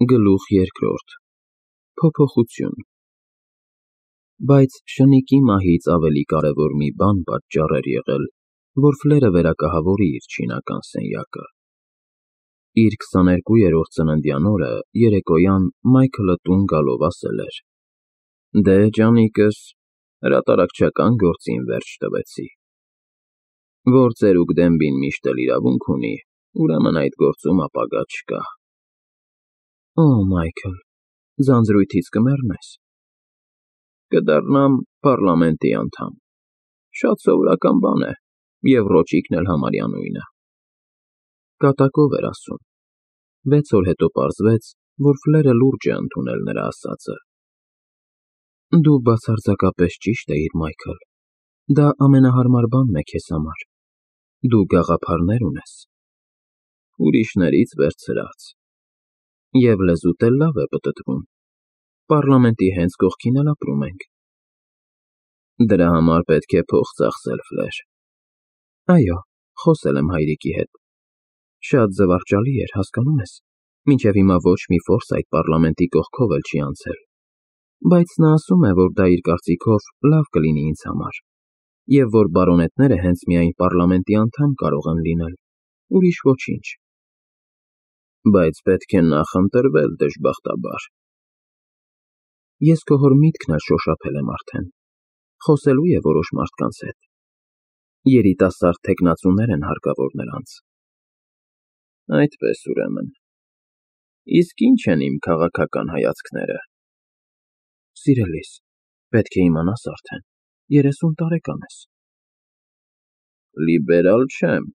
Գլուխ երկրորդ Փոփոխություն Բայց շնիկի մահից ավելի կարևոր մի բան պատճառ էր եղել, որ Ֆլերը վերակահավորի իր չինական սենյակը։ Իր 22-րդ ծննդյան օրը երեկոյան Մայքլը տուն գալով ասել էր. «Դե, ջանիկս, հրատարակչական գործին վերջ տվեցի։ Որ ծերուկ Դենբին միշտ էլ իրավունք ունի, ուրեմն այդ գործում ապագա չկա»։ Օ, Մայքլ, ձանձրույթից կմեռնես։ Կդառնամ պառլամենտի անդամ։ Շատ սովորական բան է, և ռոճիկն էլ համարյա նույնը։ Կատակով էր ասում։ 6 օր հետո պարզվեց, որ Ֆլերը լուրջ է ընդունել նրա ասածը։ Դու բացարձակապես ճիշտ էիր, Մայքլ։ Դա ամենահարմար բանն է քեզ համար։ Դու գաղափարներ ունես։ Ուրիշներից վերցրած։ Եվ լեզուդ էլ լավ է պտտվում։ Պառլամենտի հենց կողքին էլ ապրում ենք։ Դրա համար պետք է փող ծախսել, Ֆլեր։ Այո, խոսել եմ հայրիկի հետ։ Շատ զվարճալի էր, հասկանում ես։ Մինչև հիմա ոչ մի ֆորս այդ պառլամենտի կողքով էլ չի անցել։ Բայց նա ասում է, որ դա իր կարծիքով լավ կլինի ինձ համար, և որ բարոնետները հենց միայն պառլամենտի անդամ կարող են լինել, ուրիշ ոչինչ։ Բայց պետք է նախ ընտրվել, դժբախտաբար։ Ես քո հոր միտքն էլ շոշափել եմ արդեն։ Խոսելու է որոշ մարդկանց հետ։ Երիտասարդ թեկնածուներ են հարկավոր նրանց։ Այդպես ուրեմն։ Իսկ ի՞նչ են իմ քաղաքական հայացքները։ Սիրելիս, պետք է իմանաս արդեն, 30 տարեկան ես։ Լիբերալ չեմ,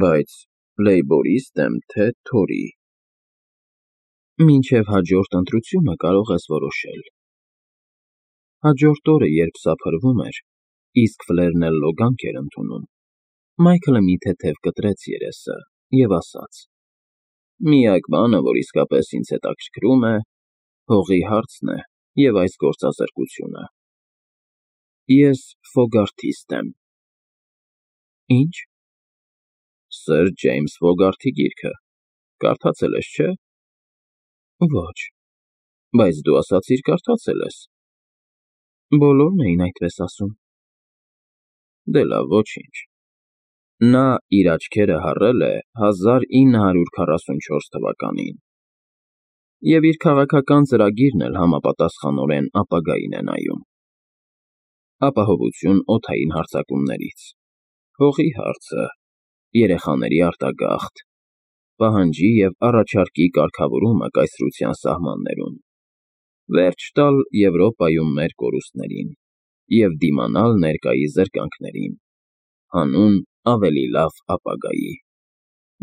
բայց լեյբորիստ եմ, թե թորի։ Մինչև հաջորդ ընտրությունը կարող ես որոշել։ Հաջորդ օրը, երբ սափրվում էր, իսկ Ֆլերն էլ լոգանք էր ընդունում, Մայքլը մի թեթև կտրեց երեսը և ասաց. «Միակ բանը, որ իսկապես ինձ հետաքրքրում է, հողի հարցն է և այս գործազրկությունը։ Ես Ֆոգարթիստ եմ»։ Ի՞նչ։ Սըր Ջեյմս Ֆոգարթի գիրքը, կարդացել ես, չէ՞։ Ոչ, բայց դու ասացիր կարդացել ես։ Բոլորն էին այդպես ասում։ Դե լավ, ոչինչ։ Նա իր աչքերը հառել է 1944 թվականին, և իր քաղաքական ծրագիրն էլ համապատասխանորեն ապագային է նայում։ Ապահովություն օդային հարձակումներից, հողի հարցը, երեխաների արտագաղթ, պահանջի և առաջարկի կարգավորումը կայսրության սահմաններում, վերջ տալ Եվրոպայում մեր կորուստներին և դիմանալ ներկայի զրկանքներին, հանուն ավելի լավ ապագայի։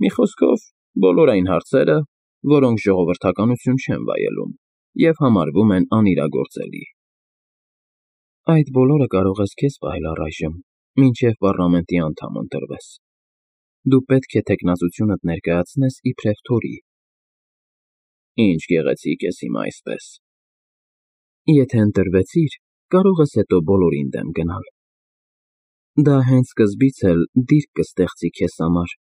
Մի խոսքով, բոլոր այն հարցերը, որոնք ժողովրդականություն չեն վայելում և համարվում են անիրագործելի։ Այդ բոլորը կարող ես քեզ պահել առայժմ, մինչև պառլամենտի անդամ ընտրվես։ Դու պետք է թեկնածությունդ ներկայացնես իբրև թորի։ Ինչ գեղեցիկ ես հիմա այսպես։ Եթե ընտրվեցիր, կարող ես հետո բոլորին դեմ գնալ։ Դա հենց սկզբից էլ դիրք կստեղծի քեզ համար։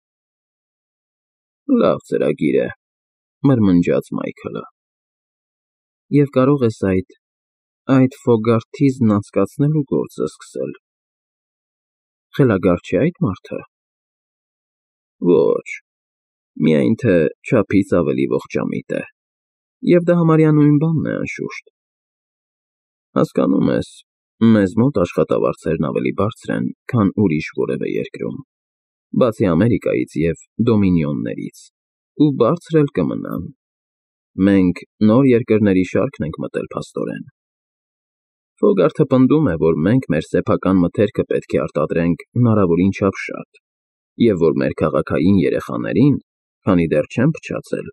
Լավ ծրագիր է, մրմնջաց Մայքլը։ Եվ կարող ես այդ Ֆոգարթիզմն անցկացնելու գործը սկսել։ Խելագար չէ՞ այդ մարդը։ Ոչ, միայն թե չափից ավելի ողջամիտ է, և դա համարյա նույն բանն է, անշուշտ։ Հասկանում ես, մեզ մոտ աշխատավարձերն ավելի բարձր են, քան ուրիշ որևէ երկրում, բացի Ամերիկայից և Դոմինիոններից, ու բարձր էլ կմնան։ Մենք նոր երկրների շարքն ենք մտել, փաստորեն։ Ֆոգարթը պնդում է, որ մենք մեր սեփական մթերքը պետք է արտադրենք հնարավորին չափ շատ, և որ մեր քաղաքային երեխաներին, քանի դեռ չեն փչացել,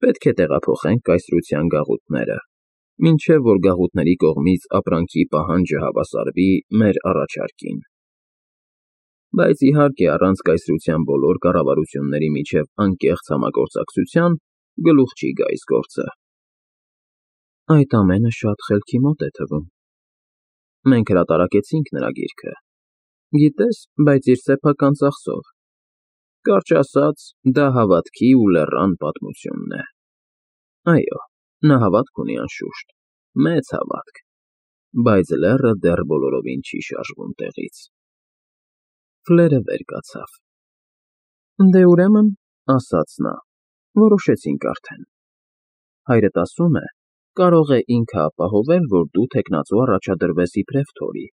պետք է տեղափոխենք կայսրության գաղութները, մինչև որ գաղութների կողմից ապրանքի պահանջը հավասարվի մեր առաջարկին։ Բայց իհարկե, առանց կայսրության բոլոր կառավարությունների միջև անկեղծ համագործակցության գլուխ չի գա այս գործը։ Այդ ամենը շատ խելքի մոտ է թվում։ Մենք հրատարակեցինք նրա գիրքը։ Գիտես, բայց իր սեփական ծախսով։ Կարճ ասած, դա հավատքի ու լեռան պատմությունն է։ Այո, նա հավատք ունի անշուշտ, մեծ հավատք, բայց լեռը դեռ բոլորովին չի շարժվում տեղից։ Ֆլերը վեր կացավ։ Դե ուրեմն, ասաց նա, որոշեցինք արդեն։ Հայրդ ասում է, կարող է ինքը ապահովել, որ դու թեկնածու առաջադրվես իբրև Թորի,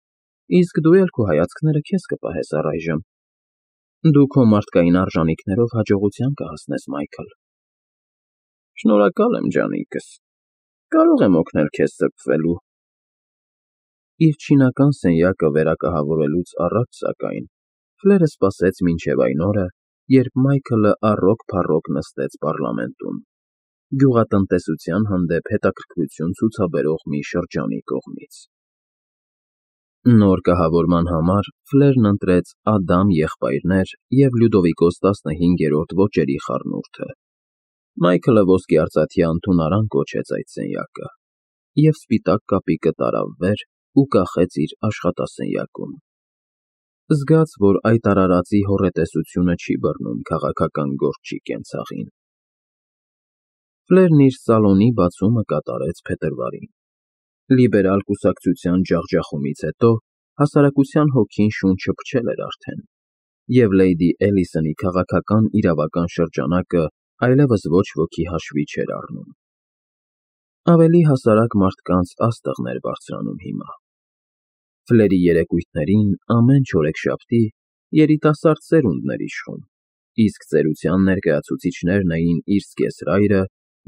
իսկ դու էլ քո հայացքները քեզ կպահես առայժմ։ Դու քո մարդկային արժանիքներով հաջողության կհասնես, Մայքլ։ Շնորհակալ եմ, ջանիկս, կարող եմ օգնել քեզ սրբվելու։ Իր չինական սենյակը վերակահավորելուց առաջ, սակայն, Ֆլերը սպասեց մինչև այն օրը, երբ Մայքլը առօք-փառօք նստեց պառլամենտում, գյուղատնտեսության հանդեպ հետաքրքրություն ցուցաբերող մի շրջանի կողմից։ Նոր կահավորման համար Ֆլերն ընտրեց Ադամ եղբայրներ և Լյուդովիկոս 15-րդ ոճերի խառնուրդը։ Մայքլը ոսկեարծաթյա ընդունարան կոչեց այդ սենյակը և սպիտակ կապիկը տարավ վեր ու կախեց իր աշխատասենյակում։ Զգաց, որ այդ արարածի հոռետեսությունը չի բռնում քաղաքական գործչի կենցաղին։ Ֆլերն իր սալոնի բացումը կատարեց փետրվարին։ Լիբերալ կուսակցության ջախջախումից հետո հասարակության հոգին շունչը փչել էր արդեն, և Լեյդի Էլիսոնի քաղաքական իրավական շրջանակը այլևս ոչ ոքի հաշվի չէր առնում։ Ավելի հասարակ մարդկանց աստղն էր բարձրանում հիմա։ Ֆլերի երեկույթներին ամեն չորեքշաբթի երիտասարդ սերունդն էր իշխում, իսկ ծերության ներկայացուցիչներն էին իր զգեսրայրը,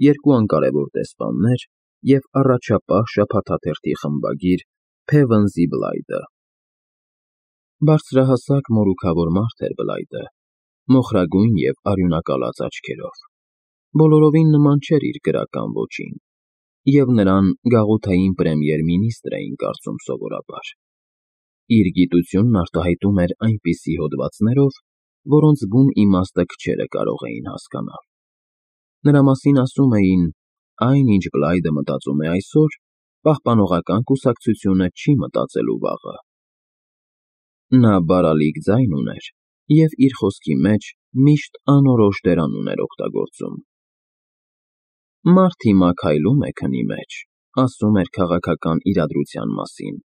երկու անկարևոր դեսպաններ և առաջապահ շաբաթաթերթի խմբագիր Փևնզի Բլայդը։ Բարձրահասակ մորուքավոր մարդ էր Բլայդը, մոխրագույն և արյունակալած աչքերով, բոլորովին նման չէր իր գրական ոճին, և նրան գաղութային պրեմիեր֊մինիստր էին կարծում սովորաբար։ Իր գիտությունն արտահայտում էր այնպիսի հոդվածներով, որոնց բուն իմաստը քչերը կարող էին հասկանալ։ Նրա մասին ասում էին. այն, ինչ Բլայդը մտածում է այսօր, պահպանողական կուսակցությունը չի մտածելու վաղը։ Նա բարալիկ ձայն ուներ և իր խոսքի մեջ միշտ անորոշ դերանուն էր օգտագործում։ Մարդ հիմա քայլում է քնի մեջ, ասում էր քաղաքական իրադրության մասին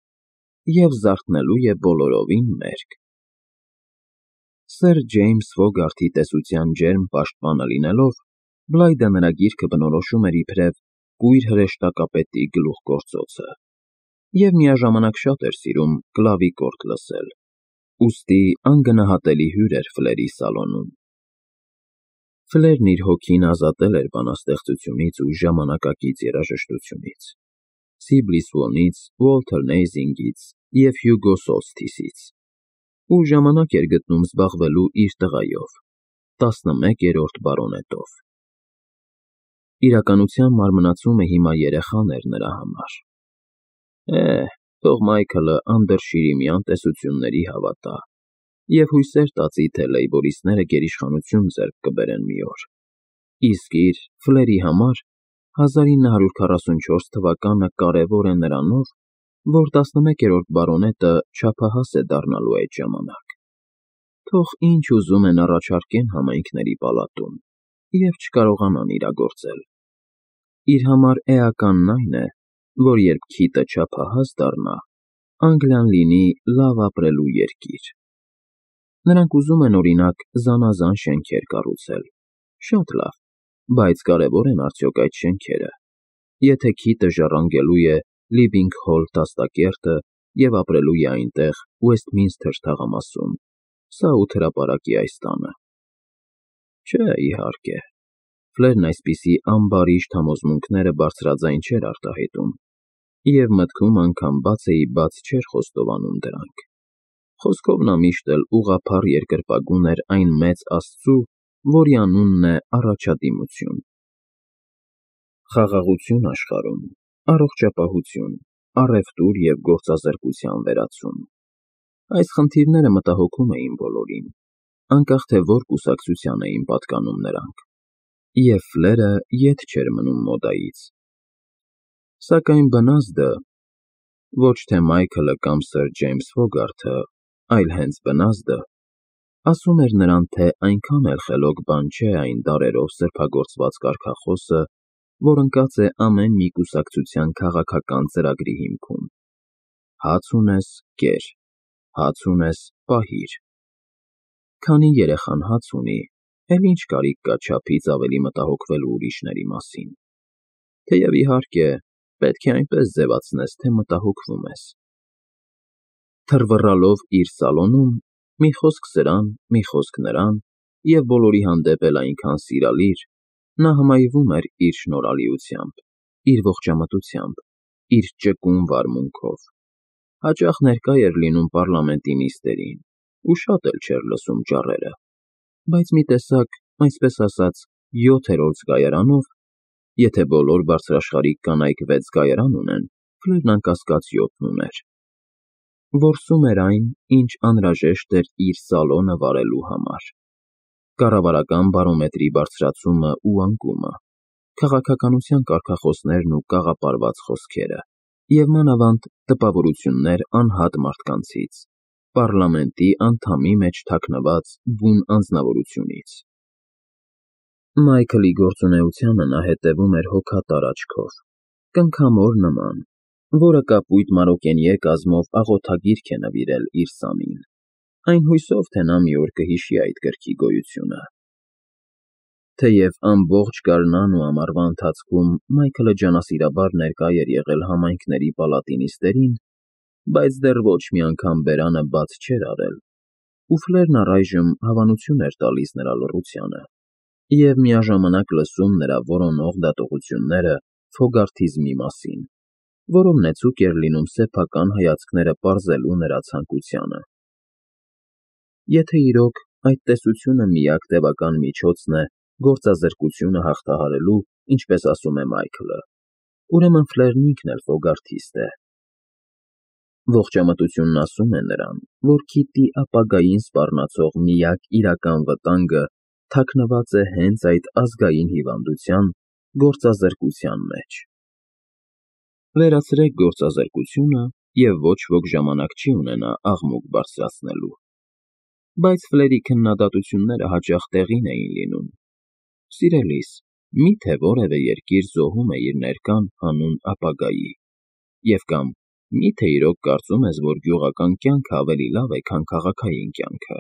և զարթնելու է բոլորովին մերկ։ Սեր Ջեյմս Ֆոգարթի տեսության ջերմ պաշտպանը լինելով, Բլայդը նրա գիրկը բնորոշում էր իբրև կույր հրեշտակապետի գլուխգործոցը և միաժամանակ շատ էր սիրում կլավիկորդ լսել, ուստի անգնահատելի հյուր էր Ֆլերի սալոնում։ Ֆլերն իր հոգին ազատել էր բանաստեղծությունից ու ժամանակակից երաժշտությունից, Սիբլիս Վոնից, Ուոլթեր Նեյզինգից և Հյուգո Սոլսթիսից, ու ժամանակ էր գտնում զբաղվելու իր տղայով, 11-րդ բարոնետով։ Իրականության մարմնացումը հիմա երեխան էր նրա համար։ Թող Մայքլը անդրշիրիմյան տեսությունների հավատա և հույսեր տածի, թե լեյբորիստները գերիշխանություն ձեռք կբերեն մի օր, իսկ իր՝ Ֆլերի համար 1944 թվականը կարևոր է նրանով, որ 11-րդ բարոնետը չափահաս է դառնալու այդ ժամանակ։ Թող ինչ ուզում են առաջարկեն համայնքների պալատում և չկարողանան իրագործել։ Իր համար էականն այն է, որ երբ քիտը չափահաս դառնա, Անգլիան լինի լավ ապրելու երկիր։ Նրանք ուզում են, օրինակ, զանազան շենքեր կառուցել, շատ լավ, բայց կարևոր են արդյոք այդ շենքերը, եթե քիտը ժառանգելու է Լիբինգ-Հոլ դաստակերտը և ապրելու է այնտեղ Ուեսթմինսթր թաղամասում, Սաութ հրապարակի այս տանը։ Չէ, իհարկե, Ֆլերն այսպիսի ամբարիշտ համոզմունքները բարձրաձայն չէր արտահայտում, և մտքում անգամ բաց չէր խոստովանում դրանք։ Խոսքով նա միշտ էլ ուղղափառ երկրպագուն էր այն մեծ Աստծու, որի անունն է առաջադիմություն։ Խաղաղություն աշխարհում, առողջապահություն, առևտուր և գործազրկության վերացում։ Այս խնդիրները մտահոգում էին բոլորին, անկախ թե որ կուսակցության էին պատկանում նրանք, և Ֆլերը ետ չէր մնում մոդայից։ Սակայն բնազդը, ոչ թե Մայքլը կամ Սր Ջեյմս Ֆոգարթը, այլ հենց բնազդը, ասում էր նրան, թե այնքան էլ խելոք բան չէ այն դարերով սրբագործված կարգախոսը, որ ընկած է ամեն մի կուսակցության քաղաքական ծրագրի հիմքում։ Հաց ունես, կեր, հաց ունես, պահիր։ Քանի երեխան հաց ունի, էլ ինչ կարիք կա չափից ավելի մտահոգվելու ուրիշների մասին։ Թեև իհարկե, պետք է այնպես ձևացնես, թե մտահոգվում ես։ Թռվռալով իր սալոնում, մի խոսք սրան, մի խոսք նրան, և բոլորի հանդեպ էլ այնքան սիրալիր, նա հմայվում էր իր շնորհալիությամբ, իր ողջամտությամբ, իր ճկուն վարմունքով։ Հաճախ ներկա էր լինում պառլամենտի նիստերին ու շատ էլ չէր լսում ճառերը, բայց մի տեսակ, այսպես ասած, 7-րդ զգայարանով, եթե բոլոր բարձրաշխարհիկ կանայք 6 զգայարան ունեն, Ֆլերն անկասկած 7-ն ուներ։ Որսում էր այն, ինչ անհրաժեշտ էր իր սալոնը վարելու համար։ Կառավարական բարոմետրի բարձրացումը ու անկումը, քաղաքականության կարգախոսներն ու կաղապարված խոսքերը, և մանավանդ տպավորություններ անհատ մարդկանցից, պառլամենտի անդամի մեջ թաքնված բուն անձնավորությունից։ Մայքլի գործունեությանը նա հետևում էր հոգատար աչքով, կնքամոր նման, որը կապույտ մարոկենիե կազմով աղոթագիրք է նվիրել իր սամին, այն հույսով, թե նա մի օր կհիշի այդ գրքի գոյությունը։ Թեև ամբողջ գարնան ու ամառվա ընթացքում Մայքլը ջանասիրաբար ներկա էր եղել համայնքների պալատի նիստերին, բայց դեռ ոչ մի անգամ բերանը բաց չէր արել, ու Ֆլերն առայժմ հավանություն էր տալիս նրա լռությանը և միաժամանակ լսում նրա որոնող դատողությունները Ֆոգարթիզմի մասին, որով նեցուկ էր լինում սեփական հայացքները պարզելու նրա ցանկությանը։ Եթե իրոք այդ տեսությունը միակ տևական միջոցն է գործազրկությունը հաղթահարելու, ինչպես ասում է Մայքլը, ուրեմն Ֆլերն ինքն էլ ֆոգարթիստ է։ Ողջամտությունն ասում է նրան, որ Քիթի ապագային սպառնացող միակ իրական վտանգը թաքնված է հենց այդ ազգային հիվանդության գործազրկության մեջ։ Վերացրեք գործազրկությունը, և ոչ ոք ժամանակ չի ունենա աղմուկ բարձրացնելու։ Բայց Ֆլերի քննադատությունները հաճախ տեղին էին լինում։ Սիրելիս, մի՞թե որևէ երկիր զոհում է իր ներկան հանուն ապագայի, և կամ մի՞թե իրոք կարծում ես, որ գյուղական կյանքը ավելի լավ է, քան քաղաքային կյանքը,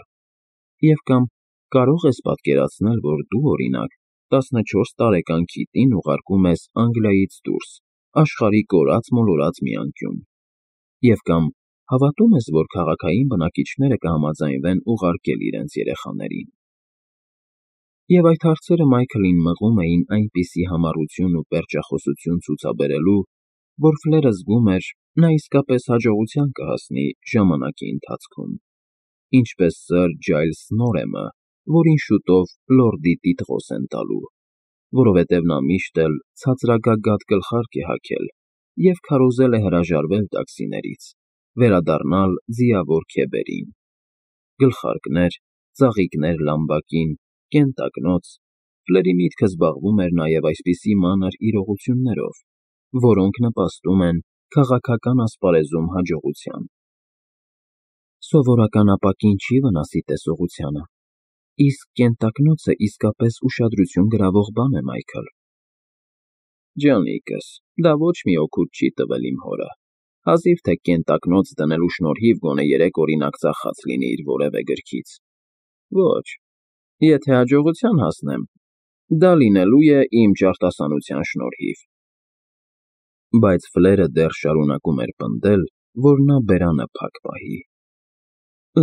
և կամ կարող ես պատկերացնել, որ դու, օրինակ, 14 տարեկան Քիթին ուղարկում ես Անգլիայից դուրս, աշխարհի կորած-մոլորած մի անկյուն, և կամ հավատում ես, որ քաղաքային բնակիչները կհամաձայնվեն ուղարկել իրենց երեխաներին։ Եվ այդ հարցերը Մայքլին մղում էին այնպիսի համառություն ու պերճախոսություն ցուցաբերելու, որ Ֆլերը զգում էր, նա իսկապես հաջողության կհասնի ժամանակի ընթացքում, ինչպես սըր Ջայլս Նորեմը, որին շուտով լորդի տիտղոս են տալու, որովհետև նա միշտ էլ ցածրագագաթ գլխարկ է հագել և քարոզել է հրաժարվել տաքսիներից, վերադառնալ ձիավոր Քեբերին։ Գլխարկներ, ծաղիկներ Լամբակին, կենտակնոց, Ֆլերի միտքը զբաղվում էր նաև այսպիսի մանր իրողություններով, որոնք նպաստում են քաղաքական ասպարեզում հաջողության։ Սովորական ապակին չի վնասի տեսողությանը, իսկ կենտակնոցը իսկապես ուշադրություն գրավող բան է, Մայքլ։ Ջանիկս, դա ոչ մի օգուտ չի տվել իմ հորը, հազիվ թե կենտակնոց դնելու շնորհիվ գոնե 3 օրինակ ծախած լինի իր որևէ գրքից։ Ոչ, եթե հաջողության հասնեմ, դա լինելու է իմ ճարտասանության շնորհիվ։ Բայց Ֆլերը դեռ շարունակում էր պնդել, որ նա բերանը փակ պահի։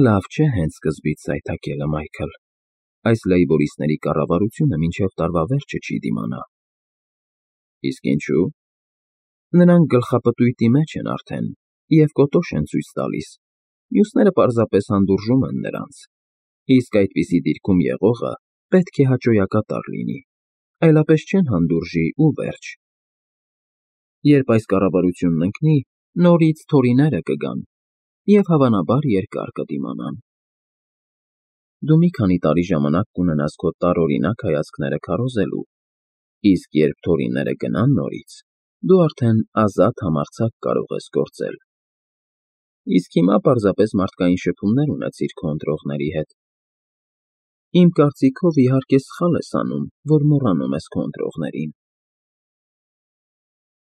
Լավ չէ հենց սկզբից սայթաքելը, Մայքլ։ Այս լեյբորիստների կառավարությունը մինչև տարվա վերջը չի դիմանա։ Իսկ ինչու՞։ Նրանք գլխապտույտի մեջ են արդեն և կոտոշ են ցույց տալիս, մյուսները պարզապես հանդուրժում են նրանց, իսկ այդպիսի դիրքում եղողը պետք է հաճոյակատար լինի, այլապես չեն հանդուրժի ու վերջ։ Երբ այս կառավարությունն ընկնի, նորից Թորիները կգան և հավանաբար երկար կդիմանան։ Դու մի քանի տարի ժամանակ կունենաս քո տարօրինակ հայացքները քարոզելու, իսկ երբ Թորիները գնան նորից, դու արդեն ազատ համարձակ կարող ես գործել։ Իսկ հիմա պարզապես մարդկային շփումներ ունեցիր քո ընտրողների հետ։ Իմ կարծիքով իհարկե սխալ ես անում, որ մոռանում ես քո ընտրողներին։